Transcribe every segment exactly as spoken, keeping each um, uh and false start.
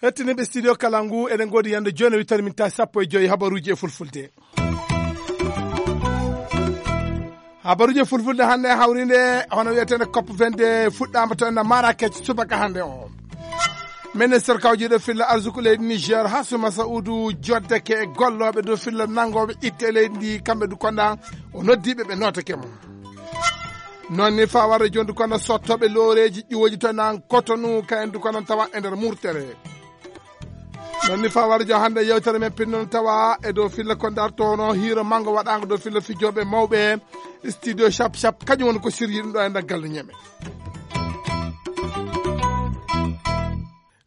Hettiniiɓe studio kala ngu, eɗen ngoodi yande jooni, wittan min tawi sappo e joyi habaruuji e fulfulde. Habaruuji e fulfulde hannde hawrinde hono wiyeteende cop vingt-deux fuɗɗaama to ena Marrakech subaka hannde o. Ministre kawjiiɗo filla arsuku leydi Niger, Hassouma Saoudou, joddeke e gollooɓe dow filla nanngooɓe itte leydi ndi, kamɓe du konda o noddiiɓe ɓe nootake mo. Noon ni faa warde jooni du konda sottooɓe looreeji ƴuwoji to nan Cotonou, kayen du konda tawa e nder murtere. Noon ni faa warde jooni hannde yewtere men pinnono tawa e dow filla ko darto hono hiiro manngo waɗaango dow filla fijooɓe mawɓe studio Shap Shap, kañum woni ko siryi ɗum ɗo e nder galle ñeme.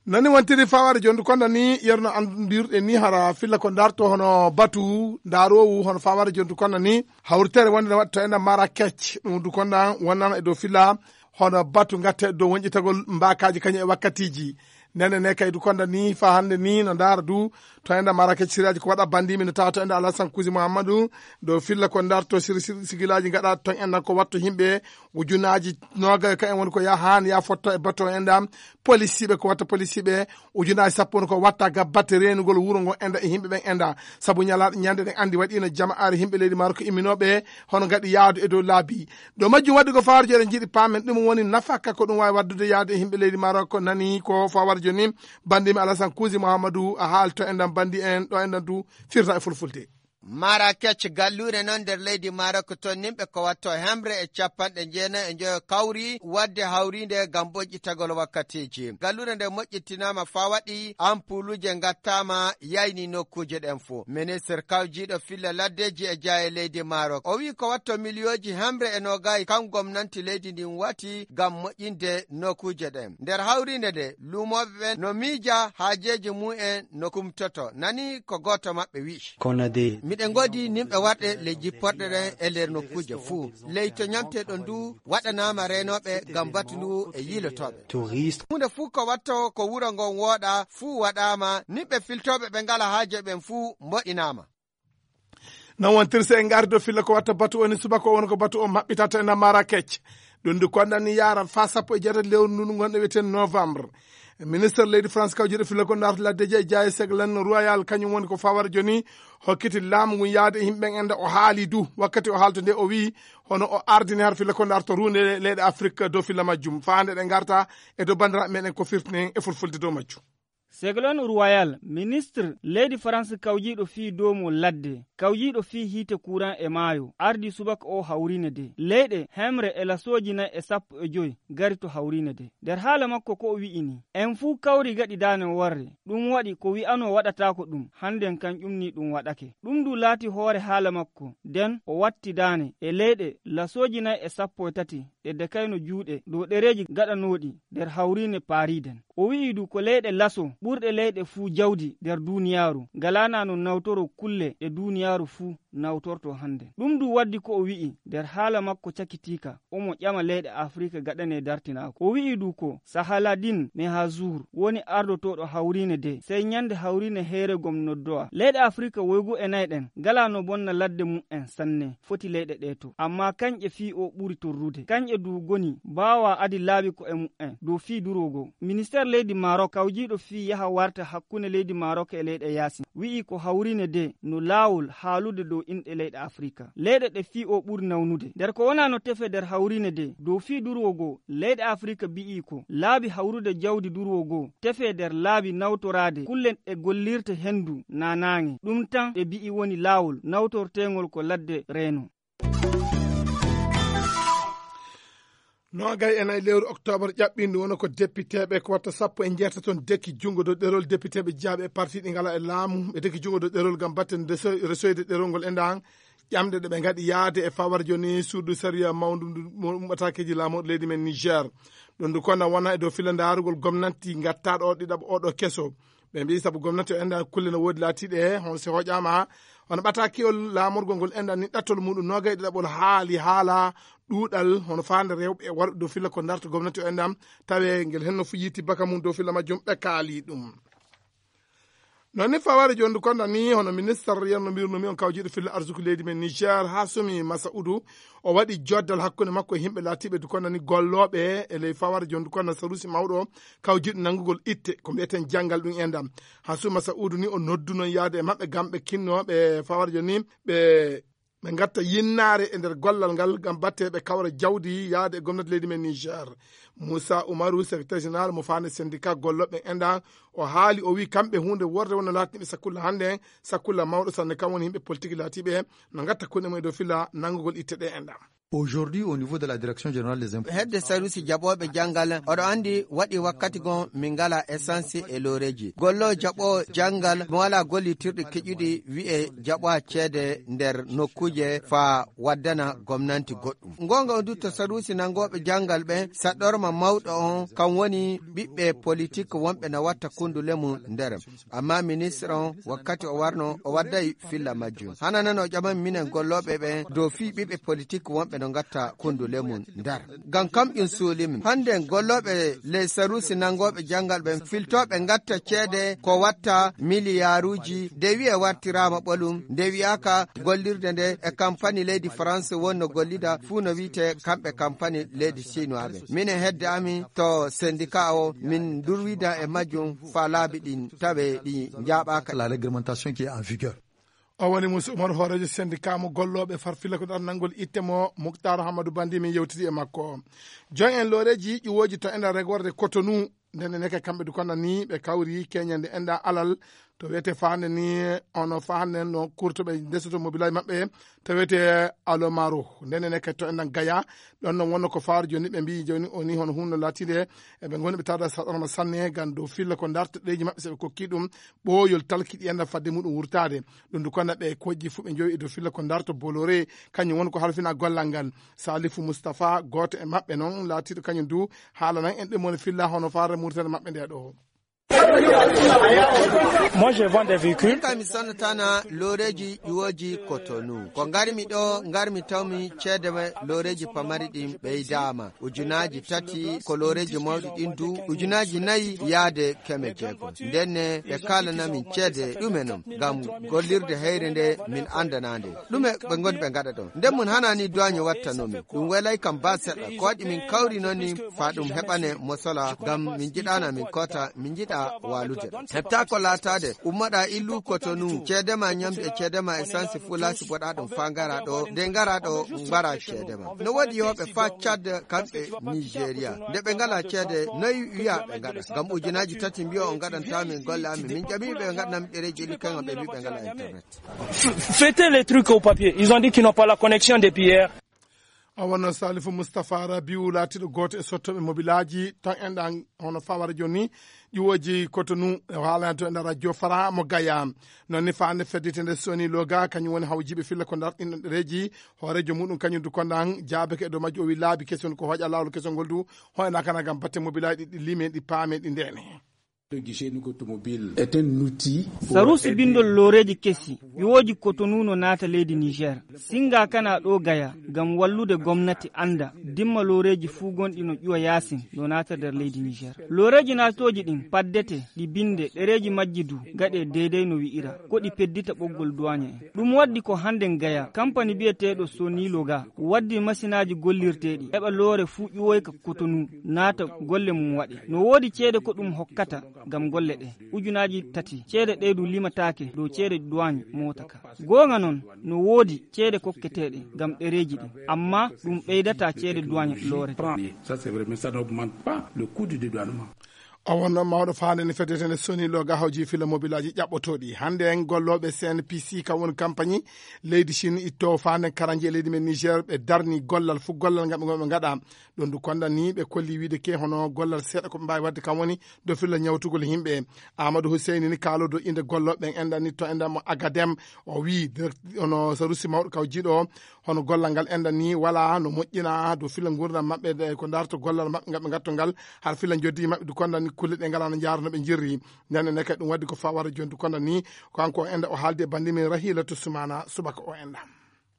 Nani wontiri faa warde jooni du konda ni yerno anndirɗe ni hara filla ko darto hono batu ndaroowu hono faa warde jooni du konda ni hawritere wonde ne waɗi to ena Marrakech, ɗum du konda wonnana e dow filla hono batu ngatte dow wonƴitagol mbaakaaji kañum e wakkatiiji. Nene ne kay du konda ni faa hannde ni no ndaara du to ena Marrakech siraaji ko waɗa banndimi no tawa to ena Alassane Kouzi Mouhamadou dow filla ko darto sir-, sir-, sigilaaji ngaɗa ton ena ko watto yimɓe ujunaaji noogay ka en woni ko ya haan ya fotto e bato enda polisiiɓe ko watta polisiiɓe ujunaaji sappo woni ko watta ga batte reenugol wuro ngo enda e yimɓe ɓen enda. Sabu ñalaaɗe ñande ɗen anndi waɗiino jama'aare yimɓe leydi Maroc imminooɓe hono ngaɗi yaadu e dow laabi. Ɗo majjum waɗi ko fawarjo eɗen njiɗi paamen ɗum woni nafaka ko ɗum waawi waddude yaadu e yimɓe leydi Maroc nani ko fawarjo ni. Banndimi Alassane Kouzi Mouhamadou a haalto enɗan banndi en ɗo enɗan du firta e fulfulde. Marrakech, galluure non nder leydi Maroc, tonnimɓe ko watto hemre e capanɗe jeenayi e njoyo kawri wadde hawriinde ngam moƴƴitagol wakkatiiji. Galluure nde moƴƴitinaama faa waɗi, ampuuluje ngattaama, yayni nokkuuje ɗen fuu. Ministre kawjiiɗo filla laddeeji e jaaye leydi Maroc, o wi'i ko watto miliyooji hemre e noogay kan gomnanti leydi ndin wati ngam moƴƴinde nokkuuje ɗen. Nder hawriinde nde, luumooɓe ɓen no miija haajeeji mu'en no kumtoto. Nani ko gooto maɓɓe wi'i. Miɗen ngoodi nimɓe warɓe ley jipporɗe ɗen e nder nokkuuje fuu. Ley to ñamteɗon ndu waɗanaama reenooɓe ngam batu ndu e yiilotooɓe. Huunde fuu ko watto ko wuro ngon wooɗa fuu waɗaama, nimɓe filtooɓe ɓe ngalaa haaje ɓen fuu mboɗinaama. Non wontirse en ngardi ɗo filla ko watta batu o ni subaka o woni ko batu o maɓɓitata ena Marrakech. Ɗum ndu konɗan ni yaara faa sappo e jeetati lewru ndu ngonɗo wiyeten novembre. Ministre leydi France kawjiiɗo filla ko ndarto laddeeji e jaaye Ségolène Royal kañum woni ko fawara jooni hokkiti laamu ngun yaade e yimɓe ɓen enda o haali du wakkati o haalto nde o wi'i hono o ardini har filla ko ndarto runde leyɗe Afrique dow filla majjum. Faa hannde ɗe ngarta e dow banndiraaɓe meɗen ko firtinen e fulfulde dow majjum. Ségolène Royal, ministre leydi France kawjiiɗo fii doomo ladde, kawjiiɗo fii hiite kuran e maayo, ardii subaka oo hawriine de. Leyɗe hemre e lasooji nay e sappo e joy gari to hawriine de. Nder haala makko ko o wi'i nii, en fuu kawri gaɗi daane worre, ɗum waɗi ko wi'anoo waɗataako ɗum, hannden kan ƴumnii ɗum waɗake. Ɗum du laati hoore haala makko, nden o watti daane e leyɗe lasooji nay e sappo e tati ɗe dekayno juuɗe dow ɗereeji gaɗanooɗi nder hawriine Paris den. O wi'i du ko leyɗe laso ɓurɗe leyɗe fuu jawdi nder duuniyaaru ngalaanaa no nawtoroo kulle ɗe duuniyaaru fuu nawtortoo hannden. Ɗum du waddi ko o wi'i nder haala makko cakitiika, omo ƴama leyɗe Afrika gaɗanee dartinaaku. O wi'i du ko Sahaladin Mehazour woni ardotooɗo hawriine de, sey ñande hawriine heere gom noddowa. Leyɗe Afrika woygu e nay ɗen ngalaa no bonna ladde mum'en sanne. Foti leyɗe ɗee to. Ammaa kanƴe fii o ɓuri torrude. Kanƴe du goni baawaa adi laabi ko'e mu'en dow fii duroo goo. Ministeer leydi Maroc kawjiiɗo fii yaha warta hakkunde leydi Maroc e leyɗe yaasin wi'i ko hawriine de no laawol haalude dow inɗe leyɗe Afrika. Leyɗe ɗe fii o ɓuri nawnude. Nder ko wonaa no tefee nder hawriine de dow fii duroo goo, leyɗe Afrika bi'ii ko laabi hawrude jawdi duroo goo tefee nder laabi nawtoraade kulle ɗe gollirta henndu naa naange. Ɗum tan ɓe bi'i woni laawol nawtorteengol ko ladde reeno. Noogay e nayi lewru oktoobar ƴaɓɓindu wona ko depiteeɓe ko watta sappo e jeetaton dekki junngo dow ɗerol depiteeɓe jeyaaɓe e parti ɗi ngalaa e laamu ɓe dekki junngo dow ɗerol ngam batten reso-, resoyde ɗerol ngol e ndan ƴamɗe ɗe ɓe ngaɗi yaade e fawar jooni suudu sariya mawndu ndu mo-, ummataakeeji laamorɗo leydi men Niger. Ɗum ndu kona wona e dow filla ndaarugol gomnanti ngattaaɗo o ɗiɗaɓo oɗo keso. Ɓe mbi'i sabu gomnati o enɗan kulle no woodi laatiiɗe, hono si hoƴaama, hono ɓatakiol laamorgol ngol enɗan ni ɗattol muɗum noogay ɗiɗaɓol haali haala ɗuuɗal, hono faande rewɓe e worɓe dow filla ko ndarta gomnati o enɗan, tawe ngel henno fu yiiti baka mum dow filla majjum ɓe kaali ɗum. Noon ni fawaade jooni ndu konda ni hono ministar yerno mbirnumi on kawjiiɗo filla arsuku leydi men Niger, Hasumi Masaudu, o waɗi joddal hakkunde makko e yimɓe laatiiɓe ndu konda ni gollooɓe e ley fawaade jooni ndu konda sarusi mawɗo kawjiiɗo nanngugol itte ko mbiyeten janngal ɗum enɗam. Hasumi Masaudu ni o noddu noon yaade e maɓɓe ngam ɓe kinnooɓe fawaade jooni ni ɓe ɓe ngatta yinnaare e nder gollal ngal ngam batte ɓe kawra jawdi yaade e gomnati leydi men Niger. Moussa Oumarou, secrétaire général mo faande syndicat gollooɓe enɗam, o haali, o wi kamɓe huunde worde wonno laatiniɓe sakulla hannde, sakulla mawɗo sanne kam woni yimɓe politique laatiiɓe no ngatta kuɗe mum e dow filla nanngugol itte ɗe enɗam. Aujourd'hui, au niveau de la direction générale des impôts, hedde sarusi jaɓooɓe janngal oɗo anndi waɗi wakkati gon min ngala essence e looreeji gollo jaɓo janngal mo wala gollitirɗi keƴuɗi wi'e jaɓa ceede nder nokkuuje faa waddana gomnanti goɗɗum. Ngonga on dutto sarusi nangooɓe janngal ɓen saɗɗorma mawɗo on kan woni ɓiɓɓe politik wonɓe na watta kundule mum nder. Amma ministre on wakkati o warno o wadday filla majjum. Hana nan o ƴaman minen gollooɓe ɓen dow fii ɓiɓɓe politik wonɓe no ngatta kundule mum nder. Ngam kam ɗum suulimin. Hannde gollooɓe ley sarusi nangooɓe janngal ɓen filtooɓe ngatta ceede ko watta miliyaaruuji nde wi'e wartiraama ɓolum nde wi'aaka gollirde nde e kampani leydi France wonno gollida fuu no wi'ete kamɓe kampani leydi Sinuwaaɓe. Minen hedde amin to sendika o min durwida e majjum faa laabi ɗin tawe ɗi njaaɓaaka. La réglementation qui est en vigueur. O woni Moussa Oumar hooreejo sendika mo gollooɓe farfilla ko ɗan nanngol itte mo Muktar Hammadou Bandi min yewtidi e makko. Joñ en looreeji ƴiwooji to enɗa regorde Cotonou. Nden e neke kamɓe du konda ni ɓe kawri keñande enɗa alal to wiyete faande ni ono faande no kurtoɓe ndesoto mobilaaji maɓɓe to wiyete Alomaro. Nden e neke to enɗan Gaya ɗon non wonno ko faari jooni ɓe mbiyi jooni o ni hono hunde laatiinde eɓe ngoni ɓe tawda saɗorma sanne ngam dow filla ko darta ɗeeji maɓɓe so ɓe kokki ɗum ɓooyol talki ɗi enɗan fadde muɗum wurtaade. Ɗum du konda ɓe kojji fuu ɓe njowi e dow filla ko darta Bolore kañum woni ko halfina gollal ngal. Salifu Mustapha gooto e maɓɓe non laatiiɗo kañum du haalanan en ɗum woni filla hono faare murtande maɓɓe nde ɗo. Moi, je vends des véhicules. Kam mi sonnatana looreeji ƴuwooji Cotonou. Ko ngarmi ɗo, ngarmi tawmi ceede looreeji pamari ɗin ɓeydaama. Ujunaaji tati ko looreeji mawɗi ɗin du, ujunaaji nayi yaade keme jeego. Ndenne ɓe kaalanamin ceede ɗume non, ngam gollirde heyre nde min anndanaande. Ɗume ɓe ngoni ɓe ngaɗa ɗon? Nden mun hanaani duwaañe wattanomi. Ɗum welay kam ba seɗɗa. Ko waɗi min kawri noon ni faa ɗum heɓane mosola, ngam min njiɗaana min koota, min njiɗa waalude. Heɓtaa ko laataade, ummoɗaa illu Cotonou, ceede ma ñamdu e ceede ma essence fuu laasi boɗaa ɗum faa ngaraa ɗo. Nde ngaraa ɗo, mbaraa ceede ma. No woodi yahooɓe faa Tchad, kamɓe Nigeria. Nde ɓe ngalaa ceede, noy wi'aa ɓe ngaɗa? Ngam ujunaaji tati mbi'o on ngaɗantaa min golle amin. Min ƴamii ɓe ɓe ngaɗanami ɗereeji ɗi, kaŋŋe ɓe mbii ɓe ngalaa internet. Faites les trucs au papier. Ils ont dit qu'ils n'ont pas la connexion depuis hier. O wonno Salifu Mustapha Rabiu laatiiɗo gooto e sottooɓe mobilaaji tan enɗan hono fawara jooni ƴiwooji Cotonou e haalani to enɗan radio Fara mo Gaya. Noon ni faande fedditende Soni Loga kañum woni hawjiiɓe filla ko ndarɗinɗo ɗereeji hooreejo muɗum kañum du kondan jaabake e dow majju o wi laabi kesi woni ko hooƴa laawol kesol ngol du hoynaakana ngam batte mobilaaji ɗi lime ɗi paame ɗi ndeene. Sarusi bindol looreeji kesi ƴuwooji Cotonou no naata leydi Niger. Singa kana ɗo Gaya ngam wallude gomnati annda dimma looreeji fuu gonɗi no ƴuwa yaasin no naata nder leydi Niger. Looreeji naatooji ɗin paddete ɗi binde ɗereeji majji du gaɗe deydey no wi'ira ko ɗi peddita ɓoggol duwaañe en. Ɗum waddi ko hannden Gaya kampani biyeteeɗo Soni Loga waddi masinaaji gollirteeɗi heɓa loore fuu ƴuwoyka Cotonou naata golle mum waɗe. No woodi ceede ko ɗum hokkata ngam golle ɗe ujunaaji tati ceede ɗe du limataake dow ceede duwaañ moota ka. Goonga non no woodi ceede kokketeeɗe ngam ɗereeji ɗin amma ɗum ɓeydataa ceede duwaañ loorete. O wonno mawɗo faande ne fedetende Soni Loga hawji fila mobilaaji ƴaɓɓotooɗi hannde en gollooɓe C N P C kam woni kampañi leydi Chine itto faande karanji e leydi men Niger ɓe darni gollal fuu gollal ngal ɓe ngonɓe ngaɗa. Ɗum du konda ni ɓe kolli wiide ke hono gollal seeɗa ko ɓe mbaawi waɗde kam woni dow filla ñawtugol yimɓe. Amadou Husseini ni kaalo dow innde gollooɓe ɓen enɗan ni to enɗan mo Agadem o wii hono sarusi mawɗo kaw jiiɗo o hono gollal ngal enɗan ni wala no moƴƴina dow filla nguurndam maɓɓe ko darto gollal maɓɓe ngal ɓe ngatto ngal har filla joddi maɓɓe du konda ni kulle ɗe ngala no jaara no ɓe jirri. Nden ne kadi ɗum waddi ko fawara joni du konda ni ko kanko o enɗan o haaldi e bandi men Rahila to Sumana subaka o enɗan.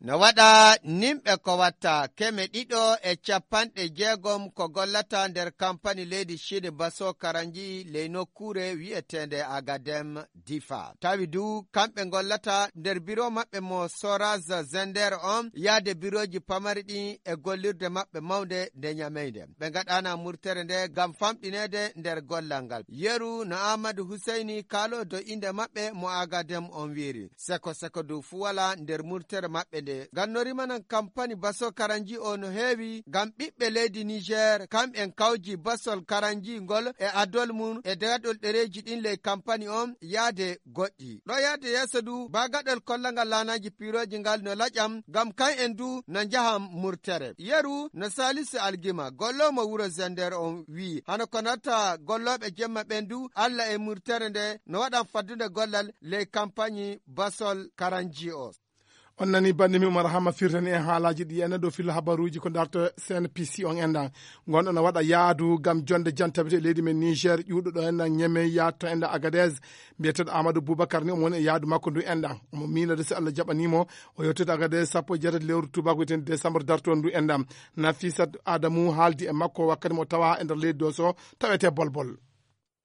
No waɗa nimɓe ko watta keme ɗiɗo e capanɗe jeegom ko gollata nder kampani leydi Chine Baso Karanji ley nokkuure wi'eteende Agadem Difa. Tawi du kamɓe gollata nder biro maɓɓe mo Soraz Zender on, yaade birooji pamari ɗin e gollirde maɓɓe mawnde nde Ñamey nde. Ɓe ngaɗana murtere nde ngam famɗineede nder gollal ngal. Yeru no Amadou Husseini kaalo dow innde maɓɓe mo Agadem on wi'iri. Seko seko dow fu wala nder murtere maɓɓe nde. Ngam no rimanan kampani Baso Karanji o no heewi, ngam ɓiɓɓe leydi Niger, kam'en kawji Basol Karanji ngol e adol mum e daɗol ɗereeji ɗin ley kampani on yaade goɗɗi. Ɗo yaade yeeso du, baagaɗol kollangal laanaaji piirooji ngal no laƴam, ngam kan'en du no njahan murtere. Yeru no Salisu Algima, golloomo wuro Zender on wi'i, hano ko natta gollooɓe jemma ɓen du, Alla e murtere nde no waɗan faddude gollal ley kampani Basol Karanji o. On nani bannde mi Umar Hama firtani en haalaaji ɗi enen ɗo filla habaruuji ko darto C N P C on enɗan. Ngonɗo no waɗa yaadu ngam jonde jantabete e leydi men Niger, ƴuuɗo ɗo enɗan Ñeme yaatto enɗan Agadez. Mbiyeteeɗo Amadou Boubacar ni omo woni e yaadu makko ndu enɗan. Omo miilade si Allah jaɓanii mo, o yottoyta Agadez sappo e jeetati lewru tuubaaku wiyeteendi décembre dartoondu ndu enɗan. Nafisat Adamu haaldi e makko wakkati mo tawa e nder leydi Doso tawetee Bolbol.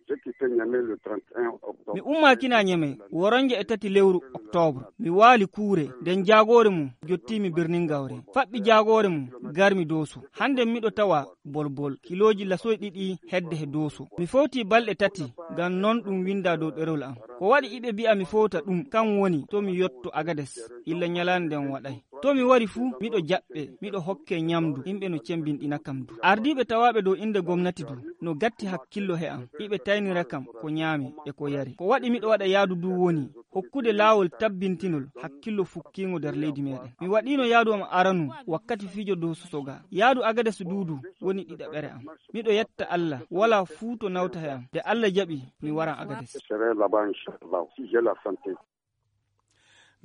J'ai quitté Niamey le trente et un octobre. Mi ummaakina Ñeme woronje e tati lewru oktoobre. Mi waali kuure, nden jaagoore mum jottii mi Birnin Gawre. Faɓɓi jaagoore mum, garmi Dooso. Hande miɗo tawa Bolbol, kilooji lasoy ɗiɗi hedde he Dooso. Mi fowtii balɗe tati, ngam non ɗum windaa dow ɗerewol am. Ko waɗi iɓe bi'a mi fowta ɗum, kan woni to mi yotto Agades, illa ñalaande nden waɗay. To mi wari fuu, miɗo jaɓɓe, miɗo hokke ñamdu, yimɓe no cembinɗina kam du. Ardiiɓe tawaaɓe dow innde gomnati du, no gatti hakkillo he am, iɓe taynira kam ko ñaami e ko yari. Ko waɗi miɗo waɗa yaadu du woni, hokkude laawol tabbintinol hakkillo fukkiingo nder leydi meɗen. Mi waɗiino yaadu am aranu wakkati fijo dow Sosoga. Yaadu Agades du du woni ɗiɗaɓere am. Miɗo yetta Allah, walaa fuu to nawta he am. Nde Allah jaɓi, mi waran Agades. Je serai là-bas, inchallah, si j'ai la santé.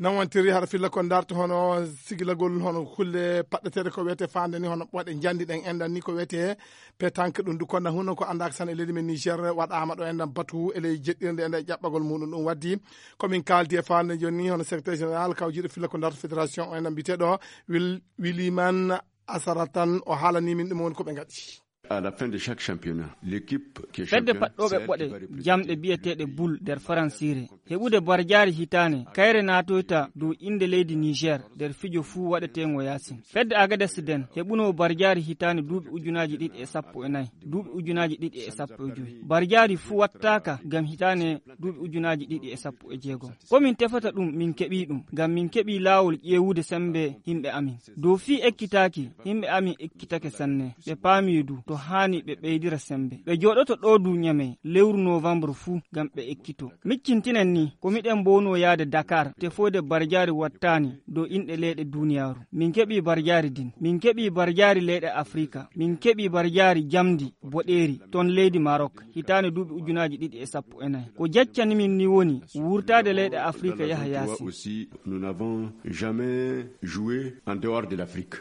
Non wontiri hara filla ko darto hono sigilagol hono kulle paɗɗeteeɗe ko wiyetee faande ni hono ɓoɗe njandi ɗen enɗan ni ko wiyetee pétanque ɗum du kono huno ko anndaaka tan e leydi men Niger waɗaama ɗo enɗan batu e ley jeɗɗirde enɗan e ƴaɓɓagol muɗum ɗum waddi ko min kaaldi e faande jooni ni hono secrétaire général kawjiiɗo filla ko darto fédération o enɗan mbiyeteeɗo Wil-, Wiliman Asaratan o haalani min ɗum woni ko ɓe ngaɗi. À la fin de chaque championnat, l'équipe qui est fedde championne paɗɗooɓe sert ɓoɗe qui va représenter jamɗe biyeteeɗe boule nder faransiire. Heɓude barjaari hitaane, kayre naatoyta dow innde leydi Niger nder fijo fuu waɗeteengo yaasin. Fedde Agades nden heɓuno barjaari hitaane duuɓi ujunaaji ɗiɗi e sappo e nayi, duuɓi ujunaaji ɗiɗi e sappo e jowi. Barjaari fuu wattaaka ngam hitaane duuɓi ujunaaji ɗiɗi e sappo e jeegom. Ko min tefata ɗum, min keɓii ɗum, ngam min keɓii laawol ƴeewude semmbe yimɓe amin. Dow fii ekkitaaki, yimɓe amin ekkitake sanne. Ɓe paamii du, to haani ɓe ɓeydira semmbe. Ɓe jooɗoto ɗoo du Ñamey, lewru noovambru fuu, ngam ɓe ekkito. Miccintinen ni, ko miɗen mbownoo yaade Dakar, tefoyde barjaari wattaani dow inɗe leyɗe duuniyaaru. Min keɓii barjaari din. Min keɓii barjaari leyɗe Afrika. Min keɓii barjaari jamndi boɗeeri ton leydi Maroc, hitaande duuɓi ujunaaji ɗiɗi e sappo e nayi. Ko jaccani min ni woni wurtaade leyɗe Afrika yaha yaasi. Aussi, nous n'avons jamais joué en dehors de l'Afrique.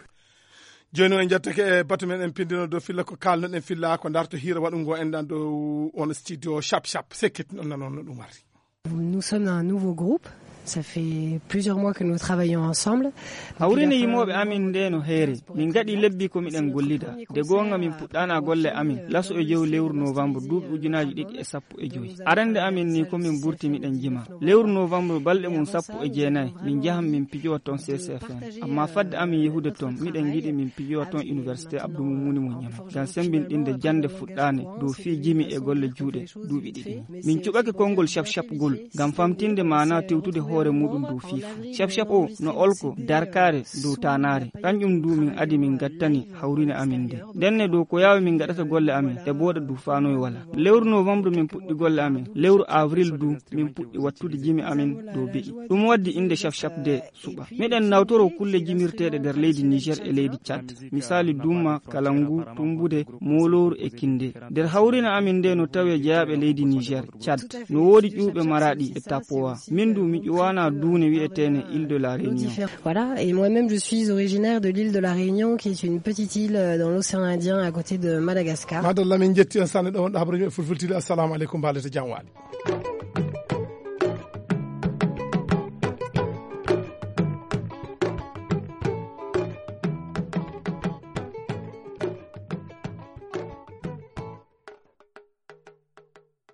Jooni o en njettake e batu men en pindino dow filla ko kaalnoɗen filla ko darto hiira waɗungo enɗan dow on studio Shap Shap. Sekkit non nanon no ɗum warri. Nous sommes un nouveau groupe. Ça fait plusieurs mois que nous travaillons ensemble. Hawrine yimooɓe amin nde no heere. Min ngaɗi lebbi ko miɗen gollida. Nde goonga min puɗɗaana golle amin laso e jow lewru novembre duuɓi ujunaaji ɗiɗi e sappo e jowi. Arande amin ni ko min burti miɗen jima. Lewru novembre balɗe mum sappo e jeenayi min njahan min pijowa ton C C F M. Amma fadde amin yehude ton, miɗen ngiɗi min pijowa ton Université Abdou Moumouni mo Ñamey. Ngam sembinɗinde jannde fuɗɗaande dow fii jimi e golle juuɗe duuɓi ɗiɗi. Min cuɓake konngol Shap Shap gol ngam famtinde maanaa tewtude hoore muuɗum dow fii fuu. Shap Shap o no olko darkaare dow taanaare. Kanƴum du min adi min ngattani hawrine amin nde. Ndenne dow ko yaawi min ngaɗata golle amin e booɗa du faanoy wala. Lewru novembre min puɗɗi golle amin. Lewru avril du min puɗɗi wattude jimi amin dow be'i. Ɗum waddi innde Shap Shap de suɓa. Miɗen nawtoro kulle jimirteeɗe nder leydi Niger e leydi Tchad. Misaali dumma, kalangu, tumbude, moolooru e kinde. Nder hawrine amin nde no tawee jeyaaɓe leydi Niger, Tchad. No woodi ƴuwɓe Maraɗi e Tapowa. Min du mi ƴuwaana duune wi'eteene Île de la Réunion. Voilà, et moi-même je suis originaire de l'île de la Réunion, qui est une petite île, euh, dans l'océan Indien à côté de Madagascar. Madalla, min jetti on sanne ɗo wonɗo habaruji e fulfultide. Assalamu aleykum, mbaalete jam waali.